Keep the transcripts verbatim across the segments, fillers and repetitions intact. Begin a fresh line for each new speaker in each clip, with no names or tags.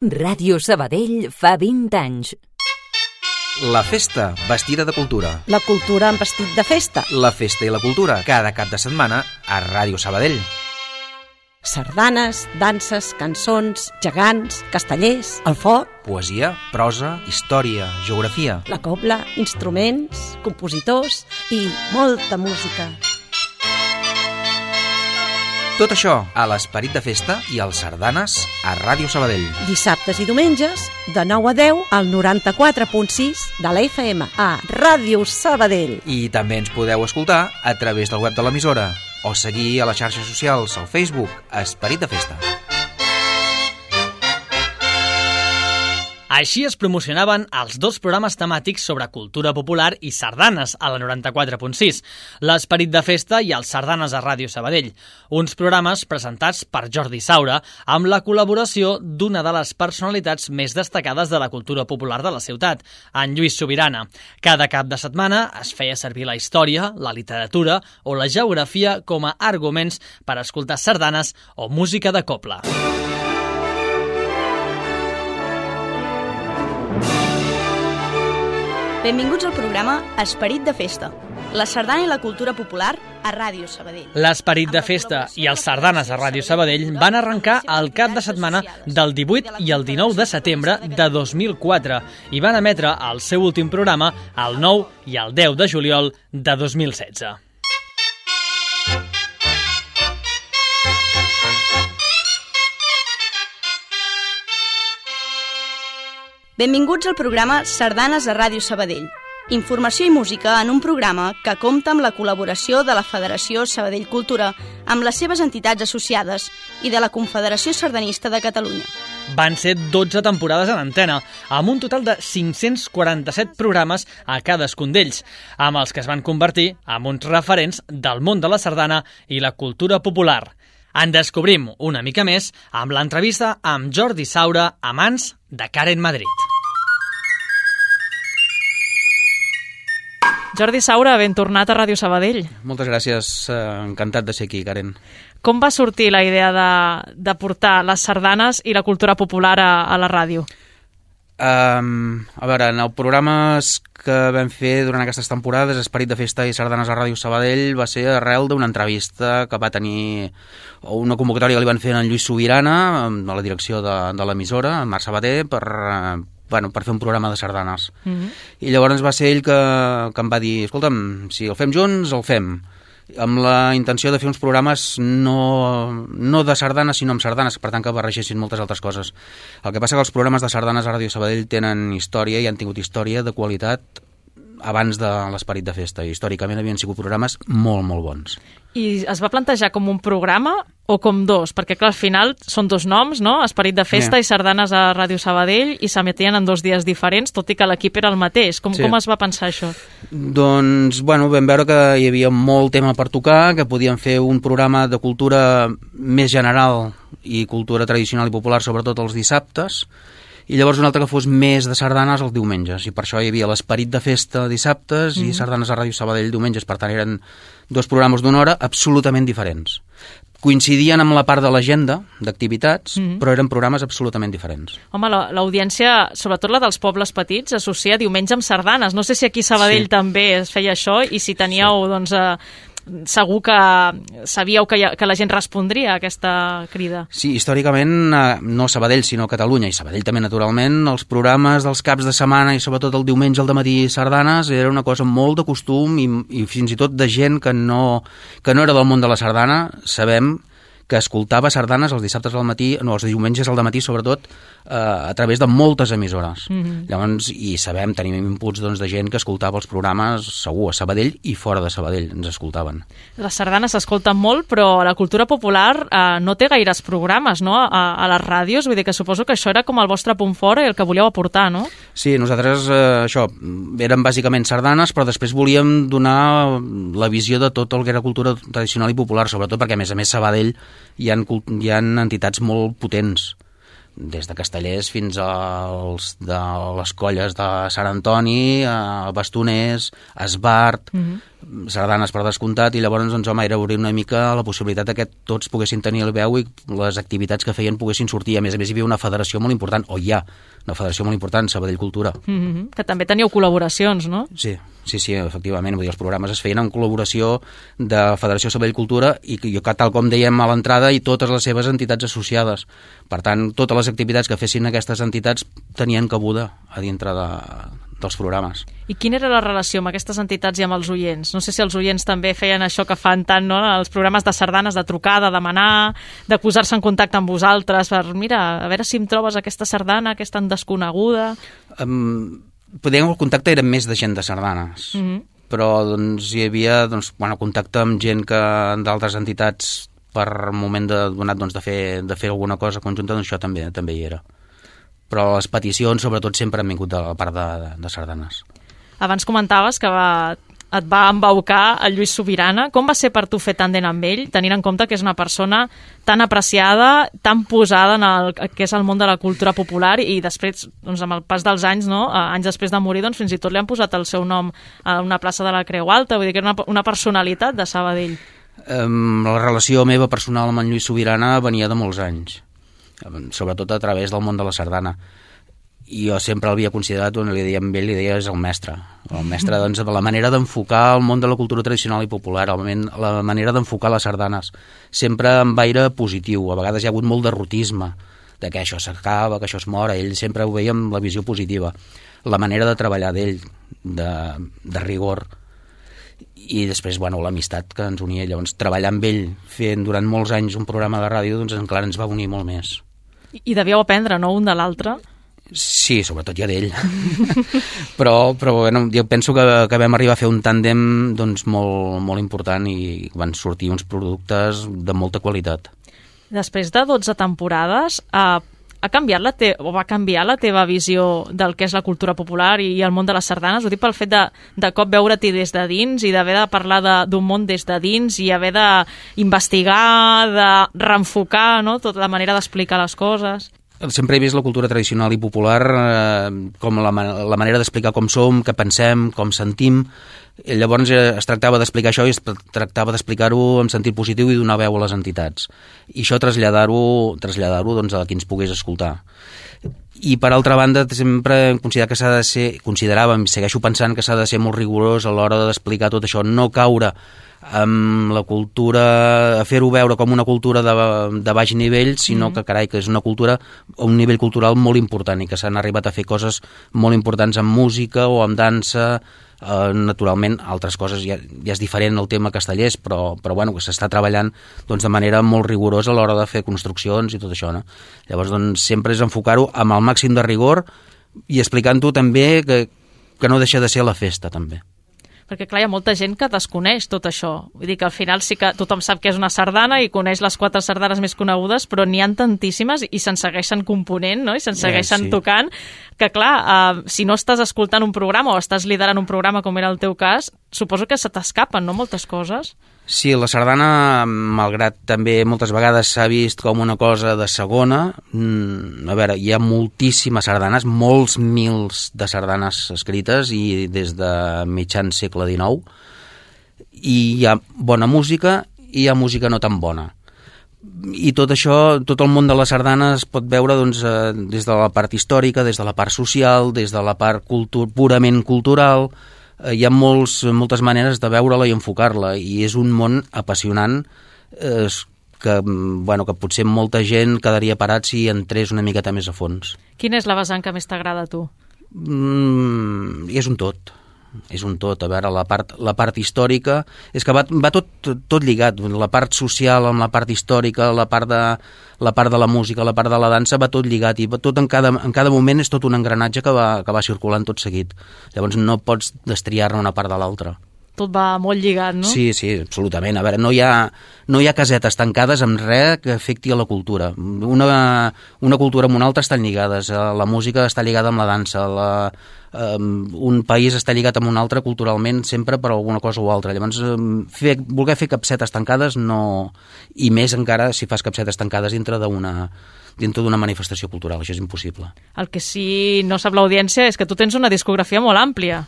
Ràdio Sabadell fa vint anys.
La festa, vestida de cultura.
La cultura en vestit de festa.
La festa i la cultura, cada cap de setmana a Ràdio Sabadell.
Sardanes, danses, cançons, gegants, castellers, el foc,
Poesia, prosa, història, geografia.
la cobla, instruments, compositors i molta música.
Tot això a l'Esperit de Festa i als Sardanes a Ràdio Sabadell.
Dissabtes i diumenges, de nou a deu, al noranta-quatre punt sis de la F M a Ràdio Sabadell.
I també ens podeu escoltar a través del web de l'emissora o seguir a les xarxes socials, al Facebook, Esperit de Festa.
Així es promocionaven els dos programes temàtics sobre cultura popular i sardanes a la noranta-quatre punt sis, l'Esperit de Festa i els Sardanes a Ràdio Sabadell, uns programes presentats per Jordi Saura amb la col·laboració d'una de les personalitats més destacades de la cultura popular de la ciutat, en Lluís Subirana. Cada cap de setmana es feia servir la història, la literatura o la geografia com a arguments per escoltar sardanes o música de cobla.
Benvinguts al programa Esperit de Festa, la sardana i la cultura popular a Ràdio Sabadell.
L'Esperit de Festa i els Sardanes a Ràdio Sabadell van arrencar el cap de setmana del divuit i el dinou de setembre de dos mil quatre i van emetre el seu últim programa el nou i el deu de juliol de dos mil setze.
Benvinguts al programa Sardanes a Ràdio Sabadell. Informació i música en un programa que compta amb la col·laboració de la Federació Sabadell Cultura amb les seves entitats associades i de la Confederació Sardanista de Catalunya.
Van ser dotze temporades en antena, amb un total de cinc-cents quaranta-set programes a cadascun d'ells, amb els que es van convertir en uns referents del món de la sardana i la cultura popular. En descobrim una mica més amb l'entrevista amb Jordi Saura a mans de Karen Madrid.
Jordi Saura, ben tornat a Ràdio Sabadell.
Moltes gràcies, encantat de ser aquí, Karen.
Com va sortir la idea de, de portar les sardanes i la cultura popular a, a la ràdio?
Um, a veure, en els programes que vam fer durant aquestes temporades, Esperit de Festa i Sardanes a Ràdio Sabadell, va ser arrel d'una entrevista que va tenir, o una convocatòria que li van fer en Lluís Subirana, a la direcció de, de l'emissora, en Marc Sabater, per, bueno, per fer un programa de sardanes. Mm-hmm. I llavors va ser ell que, que em va dir, escolta'm, si el fem junts, el fem. Amb la intenció de fer uns programes no, no de sardanes, sinó amb sardanes, per tant que barregessin moltes altres coses. El que passa que els programes de sardanes a Ràdio Sabadell tenen història i han tingut història de qualitat abans de l'Esperit de Festa. I històricament havien sigut programes molt, molt bons.
I es va plantejar com un programa o com dos? Perquè, clar, al final són dos noms, no? Esperit de Festa yeah. i Sardanes a Ràdio Sabadell, i s'emetien en dos dies diferents, tot i que l'equip era el mateix. Com, sí. com es va pensar això?
Doncs, bueno, vam veure que hi havia molt tema per tocar, que podíem fer un programa de cultura més general i cultura tradicional i popular, sobretot els dissabtes, i llavors un altre que fos més de sardanes els diumenges, i per això hi havia l'Esperit de Festa dissabtes mm. i Sardanes a Ràdio Sabadell diumenges. Per tant, eren dos programes d'una hora absolutament diferents. Coincidien amb la part de l'agenda d'activitats, mm. però eren programes absolutament diferents.
Home, l'audiència, sobretot la dels pobles petits, associa diumenge amb sardanes. No sé si aquí a Sabadell sí. també es feia això, i si teníeu, sí. doncs... Eh, segur que sabíeu que, ha, que la gent respondria a aquesta crida.
Sí, històricament, no Sabadell, sinó Catalunya, i Sabadell també, naturalment, els programes dels caps de setmana i sobretot el diumenge al dematí sardanes era una cosa molt de costum, i, i fins i tot de gent que no, que no era del món de la sardana. Sabem que escoltava sardanes els dissabtes al matí, no, els diumenges al dematí, sobretot, eh, a través de moltes emissores. Mm-hmm. Llavors, i sabem, tenim inputs doncs, de gent que escoltava els programes, segur, a Sabadell i fora de Sabadell, ens escoltaven.
Les sardanes s'escolten molt, però la cultura popular eh, no té gaires programes, no?, a, a les ràdios, vull dir que suposo que això era com el vostre punt fort i el que volíeu aportar, no?
Sí, nosaltres, eh, això, eren bàsicament sardanes, però després volíem donar la visió de tot el que era cultura tradicional i popular, sobretot perquè, a més a més, Sabadell hi ha, hi ha entitats molt potents, des de castellers fins als de les colles de Sant Antoni, a Bastoners, a Esbart, mm-hmm. sardanes per descomptat, i llavors, doncs, home, era obrir una mica la possibilitat que tots poguessin tenir el veu i les activitats que feien poguessin sortir. A més a més, hi havia una federació molt important, o hi ha una federació molt important, Sabadell Cultura.
Mm-hmm. Que també teníeu col·laboracions, no?
Sí, sí, sí, efectivament. Vull dir, els programes es feien en col·laboració de Federació Sabadell Cultura i, i tal com dèiem a l'entrada, i totes les seves entitats associades. Per tant, totes les activitats que fessin aquestes entitats tenien cabuda a dintre de, dels programes.
I quina era la relació amb aquestes entitats i amb els oients? No sé si els oients també feien això que fan tant, no?, els programes de sardanes, de trucar, de demanar, de posar-se en contacte amb vosaltres per, mira, a veure si em trobes aquesta sardana que és tan desconeguda.
Um, podríem, el contacte era més de gent de sardanes, mm-hmm. però doncs, hi havia doncs, bueno, contacte amb gent que d'altres entitats per moment de, donat doncs, de, fer, de fer alguna cosa conjunta, doncs això també, també hi era. Però les peticions, sobretot, sempre han vingut de la part de, de, de sardanes.
Abans comentaves que va, et va embaucar el Lluís Subirana. Com va ser per tu fer tàndem amb ell, tenint en compte que és una persona tan apreciada, tan posada en el que és el món de la cultura popular, i després, doncs, amb el pas dels anys, no? anys després de morir, doncs, fins i tot li han posat el seu nom a una plaça de la Creu Alta, vull dir que era una, una personalitat de Sabadell.
Um, la relació meva personal amb en Lluís Subirana venia de molts anys, sobretot a través del món de la sardana. I jo sempre l'havia considerat, on li deia amb ell, li deia és el mestre. El mestre, doncs, de la manera d'enfocar el món de la cultura tradicional i popular, la manera d'enfocar les sardanes, sempre amb aire positiu. A vegades hi ha hagut molt de rotisme, de que això s'acaba, que això es mor. Ell sempre ho veia amb la visió positiva. La manera de treballar d'ell, de, de rigor. I després, bueno, l'amistat que ens unia. Llavors, treballar amb ell, fent durant molts anys un programa de ràdio, doncs encara ens va unir molt més.
I devíeu aprendre, no?, un de l'altre?
Sí, sobretot ja d'ell. però, però bueno, jo penso que, que vam arribar a fer un tàndem doncs, molt, molt important, i van sortir uns productes de molta qualitat.
Després de dotze temporades, eh, ha canviat la te o va canviar la teva visió del que és la cultura popular i el món de les sardanes? Ho dic pel fet de, de cop veure-t'hi des de dins i d'haver de parlar d'un món des de dins i haver d'investigar, de reenfocar, no?, tota la manera d'explicar les coses.
Sempre he vist la cultura tradicional i popular eh, com la, la manera d'explicar com som, què pensem, com sentim. I llavors eh, es tractava d'explicar això i es tractava d'explicar-ho en sentit positiu i donar veu a les entitats. I això traslladar-ho traslladar-ho doncs, a qui ens pogués escoltar. I per altra banda sempre hem considerat que s'ha de ser, consideràvem, segueixo pensant que s'ha de ser molt rigorós a l'hora d'explicar tot això, no caure amb la cultura, a fer-ho veure com una cultura de, de baix nivell, sinó mm. que, carai, que és una cultura, un nivell cultural molt important, i que s'han arribat a fer coses molt importants amb música o amb dansa. Uh, naturalment, altres coses ja, ja és diferent el tema castellers, però, però bueno, que s'està treballant doncs, de manera molt rigorosa a l'hora de fer construccions i tot això, no? Llavors, doncs, sempre és enfocar-ho amb el màxim de rigor i explicant-ho també que, que no deixa de ser la festa, també.
Perquè, clar, hi ha molta gent que desconeix tot això. Vull dir que al final sí que tothom sap que és una sardana i coneix les quatre sardanes més conegudes, però n'hi ha tantíssimes i se'n segueixen component, no?, i se'n segueixen sí. tocant, que, clar, eh, si no estàs escoltant un programa o estàs liderant un programa, com era el teu cas, suposo que se t'escapen, no?, moltes coses.
Sí, la sardana, malgrat també moltes vegades s'ha vist com una cosa de segona, mmm, a veure, hi ha moltíssimes sardanes, molts mils de sardanes escrites, i des de mitjan segle dinou, i hi ha bona música i hi ha música no tan bona. I tot això, tot el món de la sardana es pot veure doncs, eh, des de la part històrica, des de la part social, des de la part cultu- purament cultural. Hi ha molts, moltes maneres de veure-la i enfocar-la, i és un món apassionant eh, que, bueno, que potser molta gent quedaria parat si entrés una miqueta més a fons.
Quina és la vessant que més t'agrada a tu?
Mm, I és un tot. És un tot. A veure, la part, la part històrica és que va, va tot, tot lligat. La part social amb la part històrica, la part de la part de la música, la part de la dansa, va tot lligat, i va tot en cada, en cada moment és tot un engranatge que va, que va circulant tot seguit. Llavors no pots destriar-ne una part de l'altra.
Tot va molt lligat, no?
Sí, sí, absolutament. A veure, no hi ha, no hi ha casetes tancades amb res que afecti a la cultura. Una, una cultura amb una altra estan lligades. La música està lligada amb la dansa, la, um, un país està lligat amb un altre culturalment sempre per alguna cosa o altra. Llavors, fer, voler fer capsetes tancades no... I més encara si fas capsetes tancades dintre d'una dintre d'una manifestació cultural. Això és impossible.
El que sí no sap l'audiència és que tu tens una discografia molt àmplia.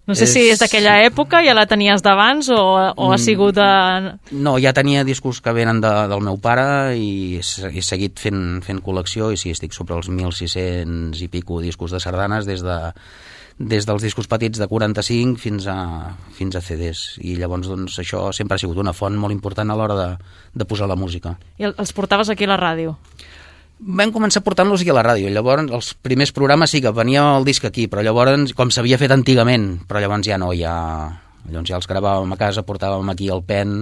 No sé és... si és d'aquella època, ja la tenies d'abans o, o ha sigut de...
No, ja tenia discos que venen de, del meu pare i he seguit fent, fent col·lecció i sí, estic sobre els mil sis-cents i pico discos de sardanes des de des dels discos petits de quaranta-cinc fins a, fins a C Ds, i llavors doncs, això sempre ha sigut una font molt important a l'hora de, de posar la música.
I els portaves aquí a la ràdio?
Vam començar portant-los aquí a la ràdio, llavors els primers programes sí que venia el disc aquí, però llavors, com s'havia fet antigament, però llavors ja no, ja, llavors ja els gravàvem a casa, portàvem aquí el pen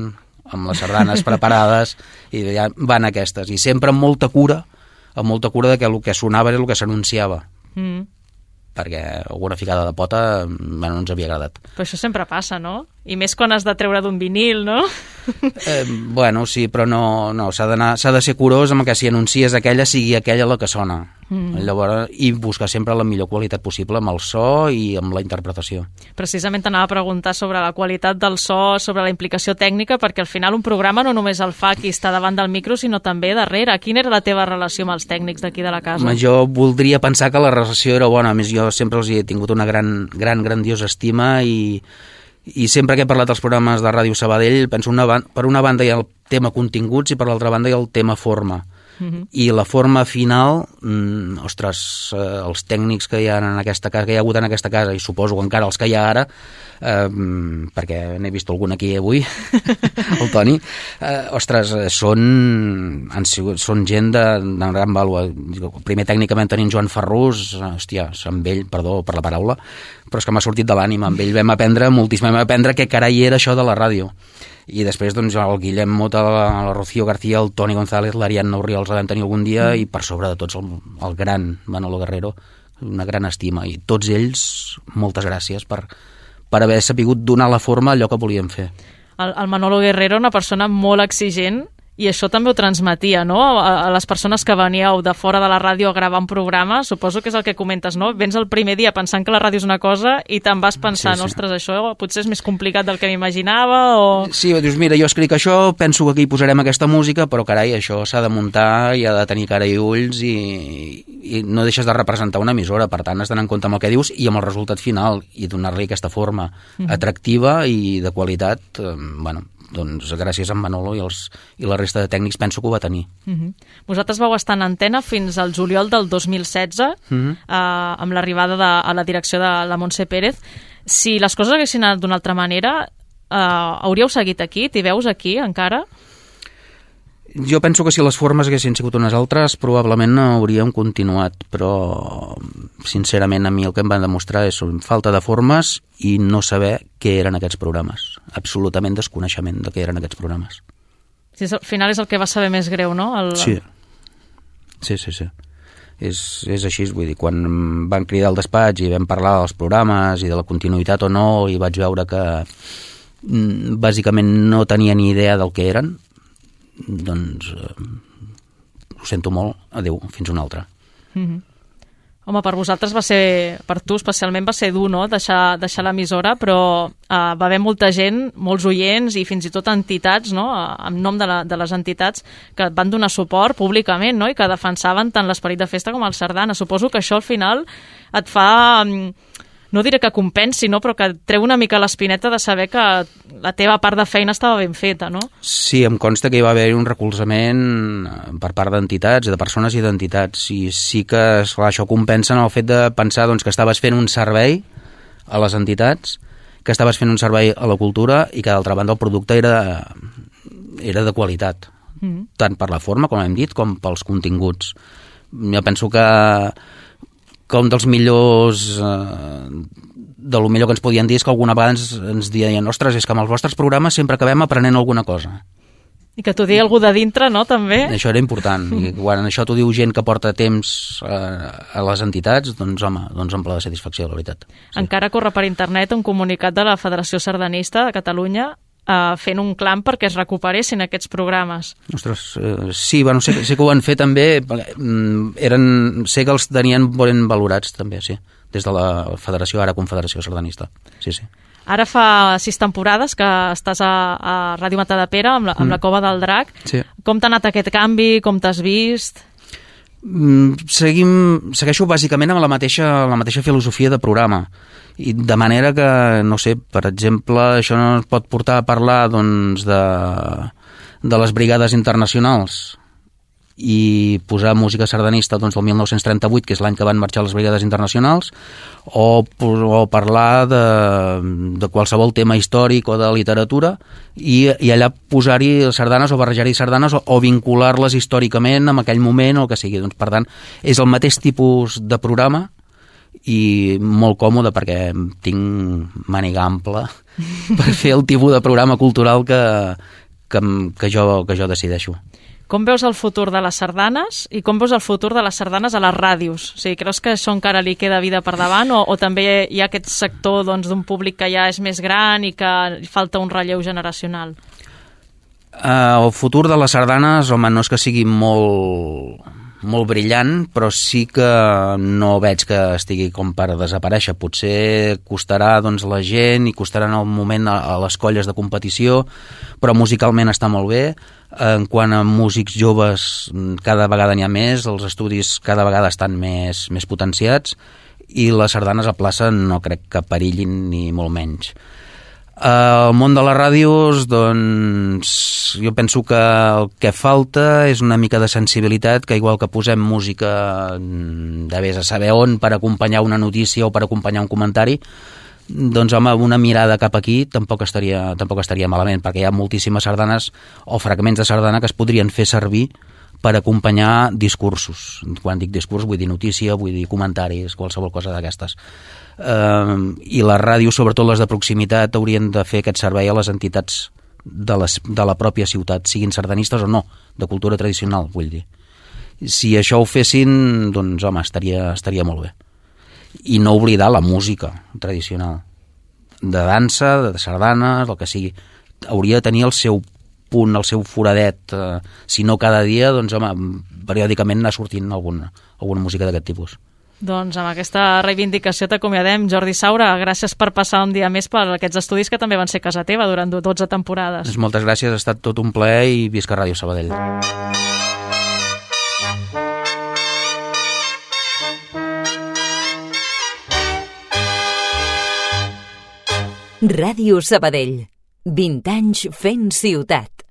amb les sardanes preparades i ja van aquestes, i sempre amb molta cura, amb molta cura de que el que sonava era el que s'anunciava. Mm. Perquè alguna ficada de pota bueno, no ens havia agradat.
Però això sempre passa, no? I més quan has de treure d'un vinil, no?
Eh, bueno, sí, però no, no s'ha d'anar, s'ha de ser curós amb que si anuncies aquella sigui aquella la que sona. Mm. Llavors, i buscar sempre la millor qualitat possible amb el so i amb la interpretació.
Precisament t'anava a preguntar sobre la qualitat del so, sobre la implicació tècnica, perquè al final un programa no només el fa qui està davant del micro, sinó també darrere. Quina era la teva relació amb els tècnics d'aquí de la casa?
Jo voldria pensar que la relació era bona, a més jo sempre els he tingut una gran, gran grandiosa estima i, i sempre que he parlat dels programes de Ràdio Sabadell penso una, per una banda hi ha el tema continguts i per l'altra banda hi ha el tema forma. Uh-huh. I la forma final, mm, ostres, eh, els tècnics que hi ha en aquesta casa, que hi ha hagut en aquesta casa, i suposo que encara els que hi ha ara, eh, perquè n'he vist algun aquí avui, el Toni, eh, ostres, són, han sigut, són gent de, de gran vàlua. Primer tècnicament tenim Joan Ferrús, hòstia, amb ell, perdó per la paraula, però és que m'ha sortit de l'ànima, amb ell vam aprendre moltíssim, vam aprendre què carai era això de la ràdio. I després doncs, el Guillem Mota, la Rocío García, el Toni González, l'Ariadna Urriol els vam tenir algun dia mm. i per sobre de tots el, el gran Manolo Guerrero, una gran estima, i tots ells moltes gràcies per, per haver sapigut donar la forma a allò que volíem fer.
El, el Manolo Guerrero, una persona molt exigent, i això també ho transmetia, no? A, a les persones que veníeu de fora de la ràdio a gravar un programa, suposo que és el que comentes, no? Vens el primer dia pensant que la ràdio és una cosa i te'n vas pensant, sí, sí. Ostres, això potser és més complicat del que m'imaginava, o...
Sí, dius, mira, jo escric això, penso que aquí posarem aquesta música, però carai, això s'ha de muntar i ha de tenir cara i ulls i, i no deixes de representar una emissora, per tant has d'anar en compte amb el que dius i amb el resultat final i donar-li aquesta forma mm. atractiva i de qualitat, eh, bueno, doncs gràcies a en Manolo i, els, i la resta de tècnics penso que ho va tenir.
Uh-huh. Vosaltres vau estar en antena fins al juliol del dos mil setze, uh-huh. eh, amb l'arribada de, a la direcció de la Montse Pérez. Si les coses haguessin anat d'una altra manera, eh, hauríeu seguit aquí? T'hi veus aquí encara?
Jo penso que si les formes haguessin sigut unes altres probablement no hauríem continuat, però sincerament a mi el que em van demostrar és falta de formes i no saber què eren aquests programes. Absolutament desconeixement de què eren aquests programes.
Sí, al final és el que va saber més greu, no? El...
Sí, sí, sí, sí. És, és així, vull dir, quan van cridar al despatx i vam parlar dels programes i de la continuïtat o no, i vaig veure que bàsicament no tenia ni idea del que eren, doncs eh, ho sento molt, adeu, fins una altra.
Mm-hmm. Home, per vosaltres va ser, per tu especialment va ser dur, no?, deixar, deixar l'emissora, però eh, va haver molta gent, molts oients i fins i tot entitats, no?, en nom de, la, de les entitats que et van donar suport públicament, no?, i que defensaven tant l'esperit de festa com el sardana. Suposo que això al final et fa... no diré que compensi, no? Però que treu una mica l'espineta de saber que la teva part de feina estava ben feta, no?
Sí, em consta que hi va haver un recolzament per part d'entitats, de persones i d'entitats, i sí que esclar, això compensa en el fet de pensar doncs, que estaves fent un servei a les entitats, que estaves fent un servei a la cultura i que d'altra banda el producte era, era de qualitat, mm. tant per la forma, com hem dit, com pels continguts. Jo penso que que un dels millors eh, de lo millor que ens podien dir és que alguna vegada ens, ens deien, ostres, és que amb els vostres programes sempre acabem aprenent alguna cosa.
I que t'ho digui algú de dintre, no, també?
Això era important. I quan això t'ho diu gent que porta temps eh, a les entitats, doncs home, doncs em ple de satisfacció, la veritat. Sí.
Encara corre per internet un comunicat de la Federació Sardanista de Catalunya Uh, fent un clam perquè es recuperessin aquests programes.
Ostres, eh, sí, bueno, sé, sé que ho han fet també, eren, sé que els tenien ben valorats també, sí, des de la Federació, ara Confederació Sardanista, sí, sí.
Ara fa sis temporades que estàs a, a Ràdio Matadepera amb la, amb mm. la Cova del Drac.
Sí.
Com t'ha anat aquest canvi, com t'has vist?
Seguim, segueixo bàsicament amb la mateixa, la mateixa filosofia de programa, i de manera que, no sé, per exemple, això no es pot portar a parlar doncs, de, de les brigades internacionals i posar música sardanista doncs, del mil nou-cents trenta-vuit, que és l'any que van marxar les brigades internacionals, o, o parlar de, de qualsevol tema històric o de literatura i, i allà posar-hi sardanes o barrejar-hi sardanes o, o vincular-les històricament amb aquell moment o el que sigui. Doncs, per tant, és el mateix tipus de programa i molt còmode perquè tinc màniga ampla per fer el tipus de programa cultural que, que, que, jo, que jo decideixo.
Com veus el futur de les sardanes i com veus el futur de les sardanes a les ràdios? O sigui, creus que això encara li queda vida per davant o, o també hi ha aquest sector doncs, d'un públic que ja és més gran i que falta un relleu generacional?
Uh, el futur de les sardanes, home, no és que sigui molt, molt brillant, però sí que no veig que estigui com per desaparèixer. Potser costarà doncs, la gent i costarà en el moment a, a les colles de competició, però musicalment està molt bé. En quant a músics joves, cada vegada n'hi ha més, els estudis cada vegada estan més, més potenciats i les sardanes a plaça no crec que perillin ni molt menys. El món de les ràdios, doncs, jo penso que el que falta és una mica de sensibilitat, que igual que posem música de vés a saber on per acompanyar una notícia o per acompanyar un comentari, doncs home, una mirada cap aquí tampoc estaria, tampoc estaria malament, perquè hi ha moltíssimes sardanes o fragments de sardana que es podrien fer servir per acompanyar discursos. Quan dic discurs vull dir notícia, vull dir comentaris, qualsevol cosa d'aquestes. Eh, I les ràdios, sobretot les de proximitat, haurien de fer aquest servei a les entitats de, les, de la pròpia ciutat, siguin sardanistes o no, de cultura tradicional, vull dir. Si això ho fessin, doncs home, estaria, estaria molt bé. I no oblidar la música tradicional de dansa, de sardanes, el que sigui. Hauria de tenir el seu punt, el seu foradet, eh, si no cada dia, doncs home, periòdicament anar sortint alguna, alguna música d'aquest tipus.
Doncs amb aquesta reivindicació t'acomiadem. Jordi Saura, gràcies per passar un dia més per aquests estudis que també van ser casa teva durant dotze temporades.
Moltes gràcies, ha estat tot un plaer i visca Ràdio Sabadell.
Ràdio Sabadell, vint anys fent ciutat.